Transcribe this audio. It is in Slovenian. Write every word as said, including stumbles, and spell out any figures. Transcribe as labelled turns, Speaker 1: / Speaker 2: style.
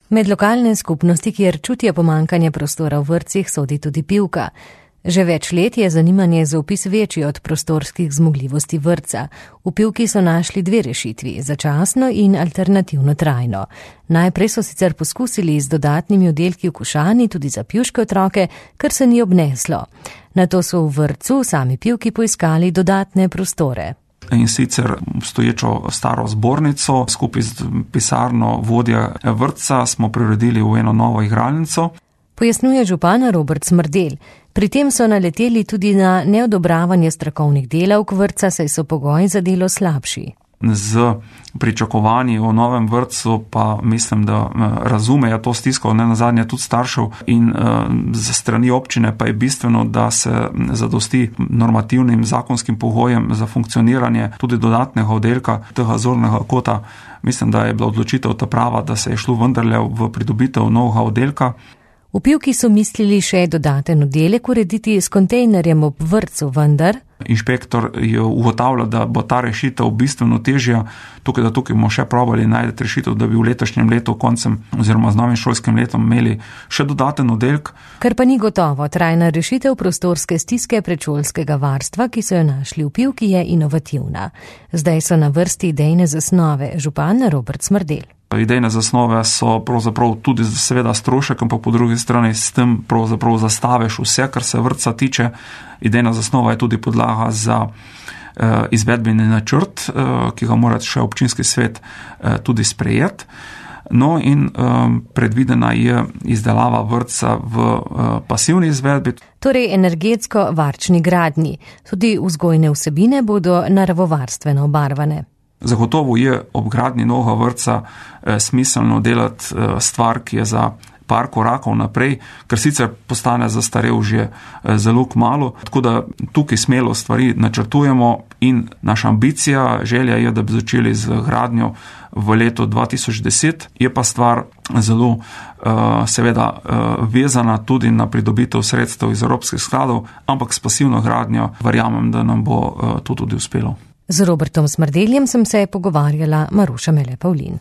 Speaker 1: Med lokalne skupnosti, kjer čutijo pomanjkanje prostora v vrtcih, sodi tudi Pivka. Že več let je zanimanje za vpis večji od prostorskih zmogljivosti vrtca. V Pivki so našli dve rešitvi, začasno in alternativno trajno. Najprej so sicer poskusili z dodatnimi oddelki v Košani tudi za pivške otroke, kar se ni obneslo. Nato so v vrtcu sami Pivki poiskali dodatne prostore.
Speaker 2: In sicer stoječo staro zbornico skupaj z pisarno vodja vrtca smo preuredili v eno novo igralnico.
Speaker 1: Pojasnjuje župan Robert Smrdelj. Pri tem so naleteli tudi na neodobravanje strokovnih delavk vrtca, saj so pogoji za delo slabši.
Speaker 2: Z pričakovanji o novem vrtcu pa mislim, da razumejo to stisko, ne nazadnje tudi staršev, in za strani občine pa je bistveno, da se zadosti normativnim zakonskim pogojem za funkcioniranje tudi dodatnega oddelka tega zornega kota. Mislim, da je bila odločitev ta prava, da se je šlo vendarle v pridobitev novega oddelka.
Speaker 1: V Pivki so mislili še dodaten oddelek urediti s kontejnerjem ob vrtcu, vendar
Speaker 2: inšpektor je ugotavljal, da bo ta rešitev bistveno težja. Tukaj, da tukaj bomo še probali najti rešitev, da bi v letošnjem letu koncem oziroma z novim šolskim letom imeli še dodaten oddelek.
Speaker 1: Ker pa ni gotovo, trajna rešitev prostorske stiske predšolskega varstva, ki so jo našli v Pivki, je inovativna. Zdaj so na vrsti idejne zasnove, župan Robert Smrdelj.
Speaker 2: Idejne zasnove so pravzaprav tudi seveda strošek, ampak po drugi strani s tem pravzaprav zastaveš vse, kar se vrtca tiče. Idejna zasnova je tudi podlaga za eh, izvedbeni načrt, eh, ki ga mora še občinski svet eh, tudi sprejeti. No in um, predvidena je izdelava vrtca v uh, pasivni izvedbi.
Speaker 1: Torej energetsko varčni gradnji. Tudi vzgojne vsebine bodo naravovarstveno obarvane.
Speaker 2: Zagotovo je ob gradnji novega vrtca eh, smiselno delati eh, stvar, ki je za par korakov naprej, ker sicer postane zastarel že eh, zelo kmalu. Tako da tukaj smelo stvari načrtujemo in naša ambicija, želja je, da bi začeli z gradnjo v letu dva tisoč deset. Je pa stvar zelo uh, seveda uh, vezana tudi na pridobitev sredstev iz evropskih skladov, ampak s pasivno gradnjo verjamem, da nam bo uh, to tudi uspelo.
Speaker 1: Z Robertom Smrdeljem sem se pogovarjala Maruša Mele Pavlin.